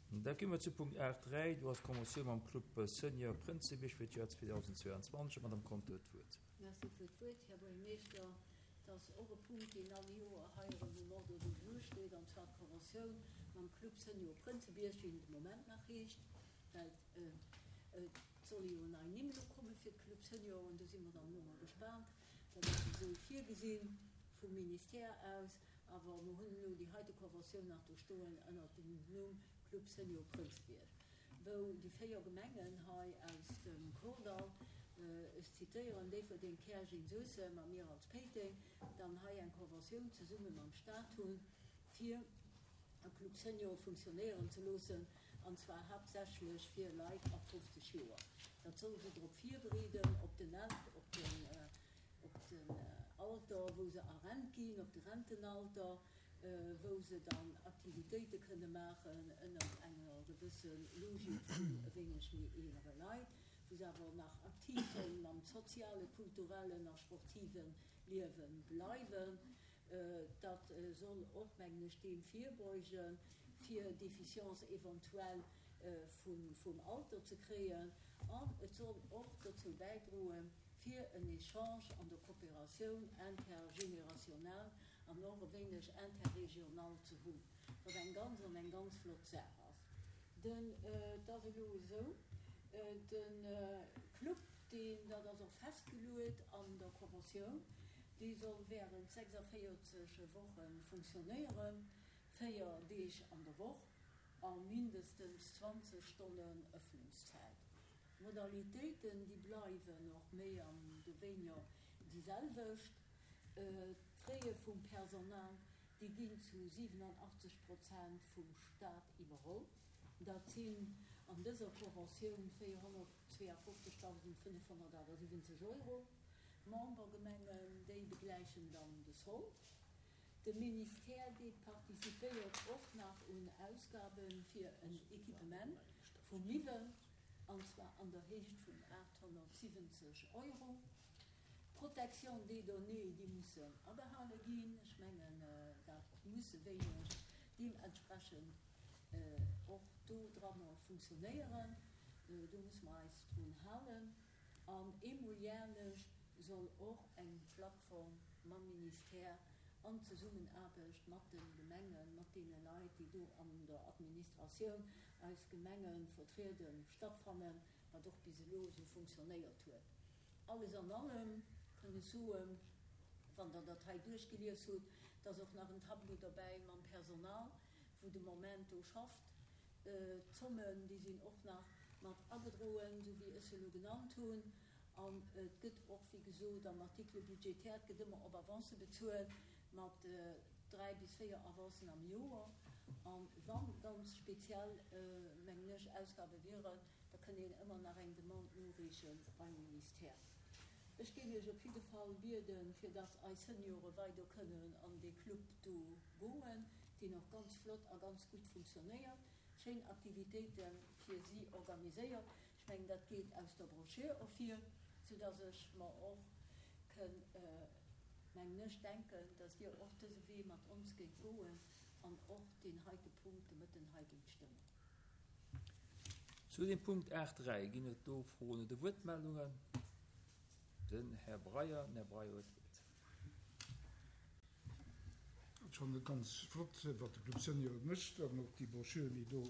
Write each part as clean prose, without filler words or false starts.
Da gi mer zu Punkt 8.3, do ass d'Conventioun mam Club Senior Prënzebierg fir d'Joer 2022. D'Madame Conter huet d'Wuert. Merci fir d'Wuert, Här Buergermeeschter. Et ass och e Punkt, deen all Joer hei erëm um Ordre du jour steet, an zwar d'Conventioun mam Club Senior Prënzebierg, wéi en de Moment nach heescht, well et solle jo nei Nimm elo komme fir de Club Senior, an do si mer dann elo mol gespaant. Dat ass esou virgesinn vum Ministère aus. Awer mer hunn elo déi heite Conventioun nach do stoen ënnert dem Numm Club Senior Prënzebierg, wou déi 4 Gemengen hei aus dem Kordall, ech zitéieren, Déifferdeng, Käerjeng, Suessem a mir als Péiteng, dann hei eng Conventioun zesumme mam Stat hunn, fir e Club Senior funktionéieren ze loossen, an zwar haaptsächlech fir Leit ab 50 Joer. Dat soll se drop virbereeden, op den, op den. op den Alter, wou se a Rent ginn, op de Rentenalter, wou se dann Aktivitéite kënne maachen ënnert enger gewësse Logik vun e wéineg méi eelere Leit, wou se awer nach aktiv sollen am soziale, kulturellen a sportive Liewe bleiwen. Dat soll och, mengen ech, deem virbeugen, fir Déficience éventuelle vum Alter ze kréien an et soll och dozou bäidroen, fir en Echange an der Coopératioun intergénérationnelle an och e wéineg interrégional ze hunn, wat eng ganz an eng ganz flott Saach ass. Den, et ass elo esou, de Club, deen, dat ass och festgeluet an der Conventioun, dee soll während 46 Woche funktionéieren, 4 Deeg an der Woch a mindestens 20 Stonnen Öffnungszäit. D'Modalitéiten, déi bleiwen och méi an de wéiniger déi selwecht. D'Fraie vum Personal, déi ginn zu 87 Prozent vum Stat iwwerholl. Dat sinn an dëser Conventioun 452.578 Euro. D'Membergemengen, déi begläichen dann de Sold. De Ministère, dee participéiert och nach un Ausgabe fir en Equipement vu Miwwel, an zwar an der Héicht vun 870 Euro. D'Protection des données, déi mussen agehale ginn. Ech mengen, dat muss e wéineg deementsprechend och do dranner funktionéieren. Do musse mer eis drun halen. An eemol järlech soll och eng Plattform mam Ministère an Zesummenaarbecht mat de Gemengen, mat deene Leit, déi do an der Administratioun eis Gemenge vertrieden, stattfannen, wat och bis elo esou funktionéiert huet. Alles an allem kënn ech soen, wann Der dat hei duerchgelies hutt, et ass och nach en Tableau derbäi mam Personal, wou de Moment do schafft. D'Zommen, déi sinn och nach mat agedroen, esou wéi ech se elo genannt hunn. An et gëtt och, wéi gesot, am Article budgétaire, et gëtt ëmmer op Avance bezuelt, mat 3 bis 4 Avancen am Joer. A wa ganz speziell, mengen ech, Ausgabe wieren, da kënn een ëmmer nach eng Demande noreeche beim Ministère. Ech géing Iech op jidde Fall bieden, fir dass eis Seniore weider kënnen an dee Club do goen, deen och ganz flott a ganz gutt funktionéiert, schéin Aktivitéite fir si organiséiert. Ech mengen, dat geet aus der Broschür ervir, soudass ech mer och kënn, mengen ech, denken, dass Dir och dëse Wee mat ons géift goen an och deen heite Punkt de Mëtten hei géift stëmmen. Zu dem Punkt 8, 3, ginn et do Froen oder Wuertmeldungen? Den Här Breyer. Den Här Breyer huet d'Wuert. Ech fannen et ganz flott, wat de Club Senior mécht an och déi Broschüren, déi do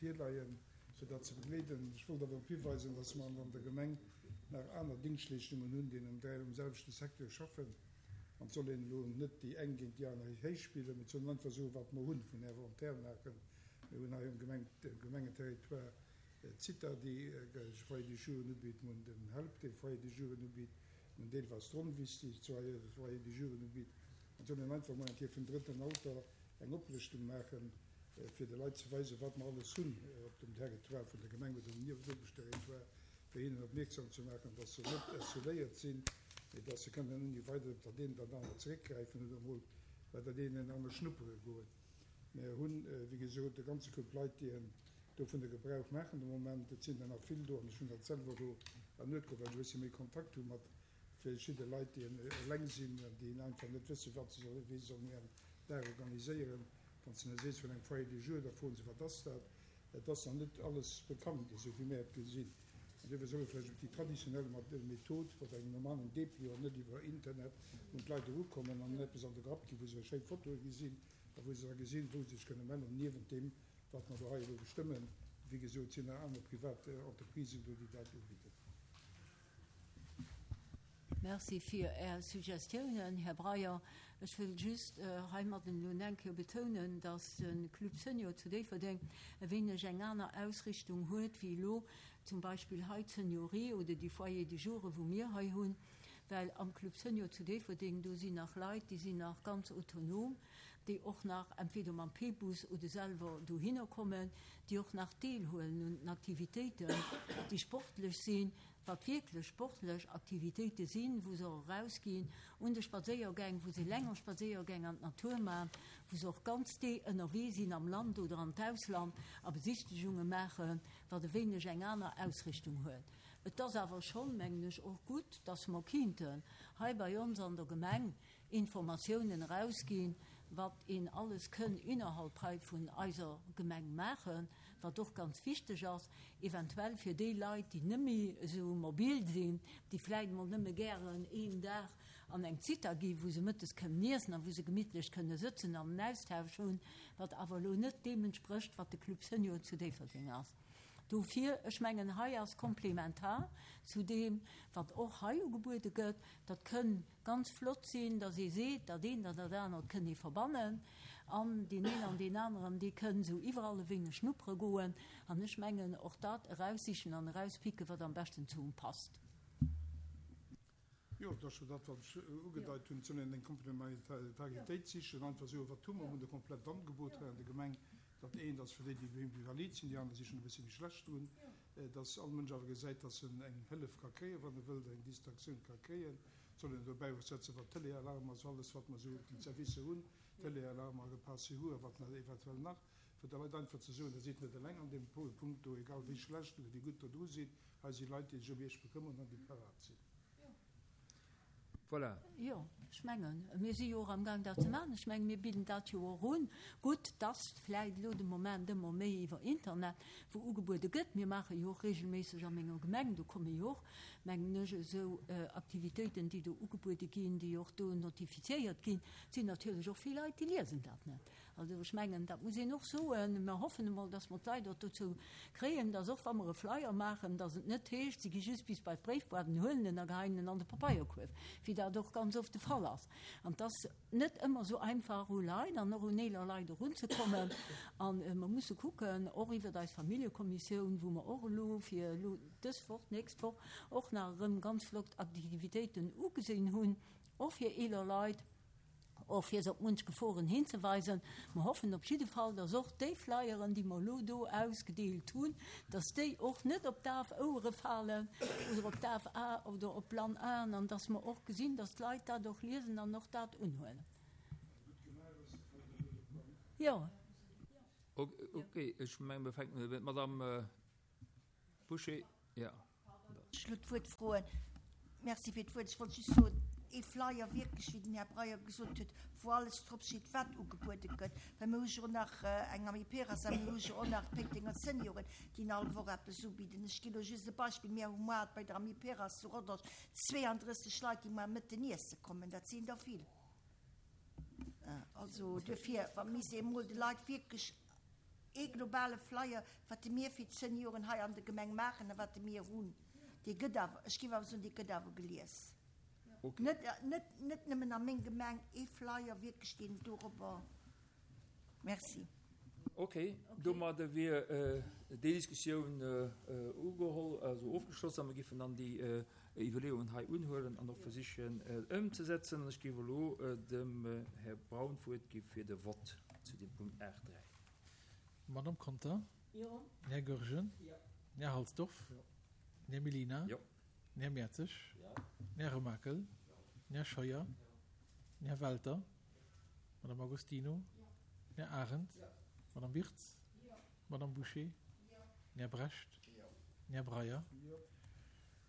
virleien, fir dat ze begleeden. Ech wollt awer drop hiweisen, dass mer an der Gemeng nach aner Dingschtleeschtungen hunn, déi am selwechte Secteur schaffen. An et soll een elo net déi eng géint déi aner héichspillen, mee et soll een einfach soen, wat mer hunn vun Inventaire maachen. Mir hunn hei um Gemengeterritoire d'Zitha, déi Foyer de jeunes ubitt, mir hunn den Help, dee Foyer de jeunes ubitt, mir hunn deelweis d'Ronwiss, déi Foyer de jeunes ubitt. An et soll een einfach emol eng Kéier vum drëtten Alter eng Oplëschtung maachen, fir de Leit ze weisen, wat mer alles hunn op dem Territoire vun der Gemeng oder um Niewenuewesch-Territoire, fir hinnen opmierksam ze maachen, dass se net isoléiert sinn, mee dass se kënnen ouni weider op dat eent oder dat anert zeréckgräifen oder emol bei dat eent oder anert schnuppere goen. Mer hunn, wéi gesot, e ganze Koup Leit, déi dovunner Gebrauch maachen de Moment. Et sinn der nach vill do, an ech hunn dat selwer elo ernuet geholl, well ech e bëssche méi Kontakt hu mat verschidde Leit, déi eleng sinn an déi einfach net wëssen, wat se sollen, wéi se sollen hiren Dag organiséieren. Wann s de hinne sees vun engem Foyer de jour, da froen se, Wat ass dat? Et ass nach net alles bekannt, esou wéi mär et gesinn. An duerfir soll ee vläicht op déi traditionell Method, mat engem normalen Dépliant, net iwwer Internet, un d'Leit erukommen an hinnen eppes an de Grapp ginn, wou se schéi Fotoe gesinn a wou se da gesinn, wou se sech kënne mellen, niewent deem, wat mer do hei elo bestëmmen. Wéi gesot, sinn nach aner privat Entreprisen do, déi dat ubidden. Merci fir Är Suggestiounen, Här Breyer. Ech wëll just heimadden elo eng Kéier betounen, dass de Club Senior zu Déifferdeng e wéineg eng aner Ausrichtung huet wéi elo zum Beispill hei d'Seniorie oder déi Foyers de jour, wou mir hei hunn, well am Club Senior zu Déifferdeng, do sinn nach Leit, déi sinn nach ganz autonom, déi och nach entweder mam P-Bus oder selwer dohinner kommen, déi och nach deelhuelen un den Aktivitéiten, déi sportlech sinn, wat wierklech sportlech Aktivitéite sinn, wou se och erausginn un de Spadséiergäng, wou se länger Spadséiergäng an d'Natur maachen, wou se och ganz Dee ënnerwee sinn am Land oder an d'Ausland a Besichtegunge maachen, wat e wéineg eng aner Ausrichtung huet. Et ass awer schonn, mengen ech, och gutt, dass mer kinnten hei bei ons an der Gemeng Informatiounen erausginn, wat een alles kënn innerhalb hei vun eiser Gemeng maachen, wat och ganz wichteg ass, eventuell fir déi Leit, déi nëmme esou mobil sinn, déi vläicht emol nëmme gären een Dag an eng Zitha gi wou se mëttes kënnen iessen a wou se gemittlech kënne sëtzen an en Austausch hunn, wat awer elo net deem entsprécht, wat de Club Senior zu Déifferdeng ass. Dofir, ech mengen, hei ass komplementar zu deem, wat och hei ugebuede gëtt, dat kënn ganz flott sinn, dass ee seet, dat eent an dat anert kënn ee verbannen an deen een an deen aneren, dee kënn esou iwwerall e wéineg schnuppere goen. An ech mengen, och dat eraussichen an erauspicken, wat am beschten zu em passt. Jo, et ass jo dat, wat ech ugedeit hunn. Et soll een eng Komplementaritéit sichen, einfach soen, wat hu mer? Mer hunn e komplett Angebot hei an der Gemeng. Dat eent ass fir déi, déi méi invalid sinn, déi aner si schonn e bëssche méi schlecht drun. Dass all Mënsch awer gesäit, dass en eng Hëllef ka kréien, wann e wëllt, eng Distraktioun ka kréien. Et soll een dobäi och setzen, wat Téléalarm ass, alles wat mer esou un Servicer hunn, Téléalarm a Repas-Secours a wat nach eventuell nach, fir de Leit einfach ze soen, Der sidd net eleng an deem Punkt do, egal wéi schlecht oder wéi gutt Der dru sidd, hei si Leit, déi sech ëm Iech bekëmmeren an déi parat sinn. Voilà. Jo, ech mengen, mir si jo och amgaang dat ze maachen. Ech mengen, mir bidden dat jo och un. Gutt, dass vläicht elo de Moment ëmmer méi iwwer Internet, wou ugebuede gëtt. Mir maache jo och regelméisseg a menger Gemeng, do komme jo och, mengen ech, esou Aktivitéiten, déi do ugebuede ginn, déi och do notifiziéiert ginn. Et sinn natierlech och vill Leit, déi liesen dat net. Also ech mengen, dat muss een och soen. Mer hoffen emol, dass mer d'Leit och dozou kréien, dass och wa mer e Flyer maachen, dass et net heescht, si gi just bis bei d'Bréifboîte, huelen en a geheien en an de Papeierkuerf, wéi dat och ganz oft de Fall ass. An et ass net ëmmer esou einfach, u Leit an och un eeler Leit erunzekommen. A mer musse kucken, och iwwert eis Familljekommissioun, wou mer och elo fir elo dës Woch, d'nächst Woch och nach erëm ganz flott Aktivitéiten ugesinn hunn, och fir eeler Leit, och fir se op munch Geforen hinzeweisen. Mer hoffen op jidde Fall, dass och déi Flyeren, déi mer elo do ausgedeelt hunn, dass déi och net op daf Ouere falen oder op daf A oder op blann Aen an dass mer och gesinn, dass d'Leit dat och liesen an och dat unhuelen. Jo. Okay, ech mengen, mir fänken un. D'Madame Bouché, jo. Ech elo d'Wuert froen. Merci fir d'Wuert. Ech wollt just soen, ee Flyer wierklech, wéi den Här Breyer gesot huet, wou alles drop steet, wat ugebuede gëtt. Well mir hu jo och nach eng Amiperas a mir hu jo och nach d'Péitenger Senioren, déi all Woch eppes ubidden. Ech ginn elo just e Beispill, Mir hu moar bei der Amiperas zu Rodange 32 Leit, déi moar Mëtten iesse kommen. Dat sinn der vill. Also duerfir, wa misst ee emol de Leit wierklech Ee globale Flyer, wat de mir fir d'Senioren hei an der Gemeng maachen a wat de mir hunn, dee gëtt awer, ech géif awer soen, dee gëtt awer gelies. Net, net, net nëmmen a meng Gemeng, ee Flyer wierklech, deen dorobber. Merci. Ok, domadder wier déi Diskussioun ugeholl, also ofgeschloss, a mir géifen dann déi Iwwerleeungen hei unhuelen an och versichen ëmzesetzen. An ech géif elo dem Här Braun d'Wuert gi fir de Vott zu dem Punkt 8.3. Madamm Conter? Jo. Den Här Goergen? Jo. Den Här Halsdorf? Jo. Den Här Mellina? Jo. Den Här Mertzig? Jo. Den Här Remakel? Jo. Den Här Scheuer? Jo. Den Här Welter? Madamm Agostino? Jo. Den Här Arendt? Jo. Madamm Wirtz? Jo. Madamm Bouché? Jo. Den Här Brecht? Jo. Den Här Breyer? Jo.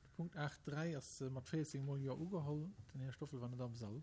De Punkt 8.3 ass mat 14 mol Jo ugeholl. Den Här Stoffel war net am Sall.